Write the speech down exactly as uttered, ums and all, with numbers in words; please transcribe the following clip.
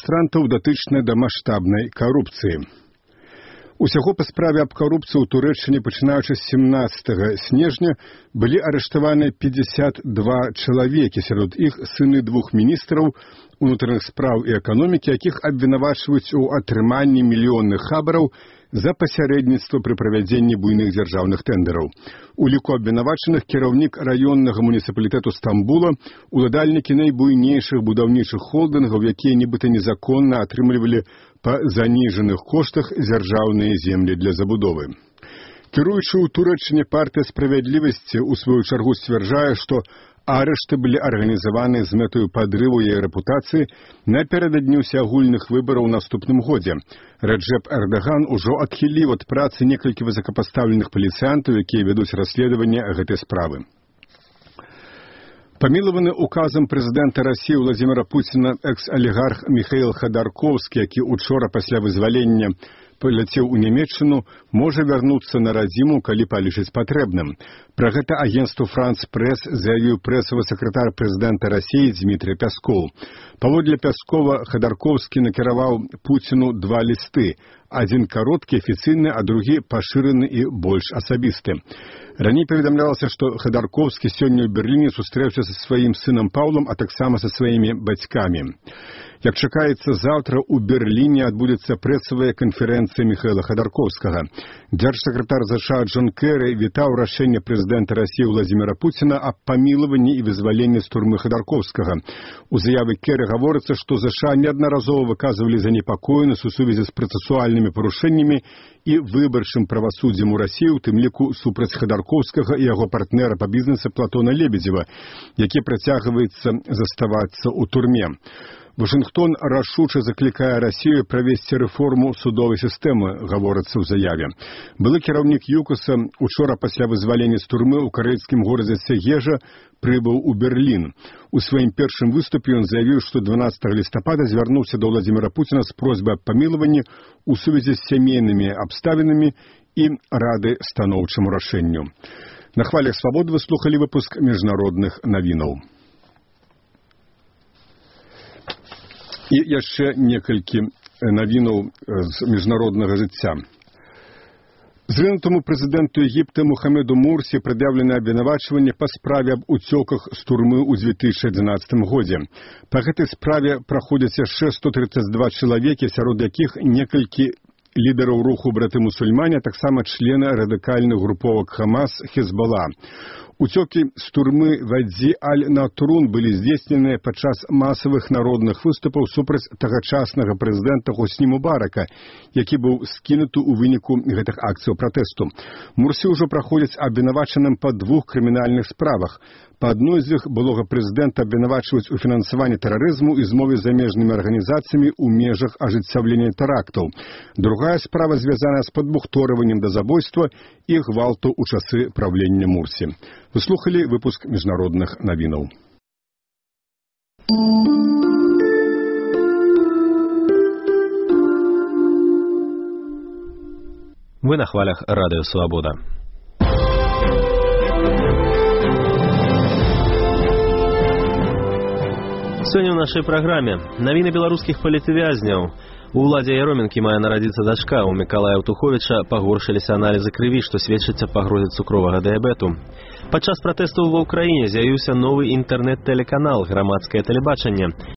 дэманстрантаў датычна да маштабнай карупцыі. Усяго па справе аб карупцыі ў Турэччыне, пачынаючы з сямнаццатага снежня, былі арыштаваны пятьдесят два чалавекі, сярод іх сыны двух міністраў унутраных спраў і эканомікі, якіх абвінавачваюць у атрыманні мільённых хабараў за пасярэдніцтва пры правядзенні буйных дзяржаўных тэндараў. У ліку абвінавачаных кіраўнік раённага муніцыпалітэту Стамбула, уладальнікі найбуйнейшых будаўнічых холдынгаў, якія нібыта незаконна атрымлівалі па заніжаных коштах дзяржаўныя землі для забудовы. Кіруючы ў Турэччыне партыя справядлівасці ў сваю чаргу сцвярджае, што арышты былі арганізаваны з мэтаю падрыву яе рэпутацыі напярэдадні ўсеагульных выбараў у наступным годзе. Раджэп Эрдаган ужо адхіліў ад працы некалькі высокапастаўленых паліцыянтаў, якія вядуць расследаванне гэтай справы. Памілаваны указам прэзідэнта Расіі Владзіміра Пуціна экс-алігарх Міхаіл Хадарковскі, які учора пасля вызвалення паляцеў у Нямецчыну, можа вярнуцца на радзіму, калі палічыць патрэбным. Пра гэта агенцтву «Франц Прэс» заявіў прэсавы сакратар прэзідэнта Расіі Дмітрий Пяскоў. Паводле Пяскова, Хадарковскі накіраваў Пуціну два лісты. Адзін кароткі, афіцыйны, а другі пашыраны і больш асабісты. Раней паведамлялася, што Хадарковскі сёння ў Берліне сустрэўся са сваім сынам Паўлам, а таксама са сваімі бацькамі. Як чакаецца, заўтра ў Берліне адбудзецца прэсавая канферэнцыя Міхаіла Хадарковскага. Дзяржсакратар ЗША Джон Кэры вітаў рашэнне прэзідэнта Расіі Владзіміра Пуціна аб памілаванні і вызваленні з турмы Хадарковскага. У заяве Кэры гаворыцца, што ЗША неаднаразова выказвалі занепакоенасць у сувязі з працэсуальнымі парушэннямі і выбарчым правасуддзем у Расіі, у тым ліку супраць Хадарковскага і яго партнера па бізнесе Платона Лебедзева, які працягваецца заставацца ў турме. Вашынгтон рашуча заклікае Расію правесці рэформу судовай сістэмы, гаворыцца ў заяве. Былы кіраўнік ЮКОСа учора пасля вызвалення з турмы ў карэйскім горадзе Сегежа прыбыў у Берлін. У сваім першым выступе ён заявіў, што дванаццатага лістапада звярнуўся да Владзіміра Пуціна з просьбай аб памілаванні ў сувязі з сямейнымі абставінамі і рады станоўчаму рашэнню. На хвалях свабоды вы слухалі выпуск міжнародных навінаў. І яшчэ некалькі навінаў з міжнароднага жыцця. Зрынутаму прэзідэнту Егіпта Мухаммеду Мурсі прад'яўлена абвінавачванне па справе аб уцёках з турмы ў дзве тысячы адзінаццатым годзе. Па гэтай справе праходзяць яшчэ сто тридцать два чалавекі, сярод якіх некалькі лідараў руху браты-мусульмане, а таксама члены радыкальных груповак Хамас, Хезбола. Уцёкі з турмы Вадзі Аль-Натрун былі здзейсненыя падчас масавых народных выступаў супраць тагачаснага прэзідэнта Хосні Мубарака, які быў скінуты ў выніку гэтых акцыяў пратэсту. Мурсі ўжо праходзяць абвінавачаным па двух крымінальных справах. Па адной з іх былога прэзідэнта абвінавачваюць у фінансаванні тэрарызму і змове з замежнымі арганізацыямі ў межах ажыццяўлення тэрактаў. Другая справа звязана з падбухторваннем да забойства і гвалту ў часы правлення Мурсі. Вы слухали выпуск міжнародных навінаў. Вы на хвалях Радыё Свабода. Сёння ў нашай праграме навіны беларускіх палітвязняў. У Уладзе Яроменкі мае нарадзіцца дачка. У Мікалая Аўтуховіча пагоршыліся аналізы крыві, што сведчыць аб пагрозе цукровага дыябету. Падчас пратэстаў ва ўкраіне з'явіўся новы інтэрнэт-тэлеканал «Грамадскае тэлебачанне».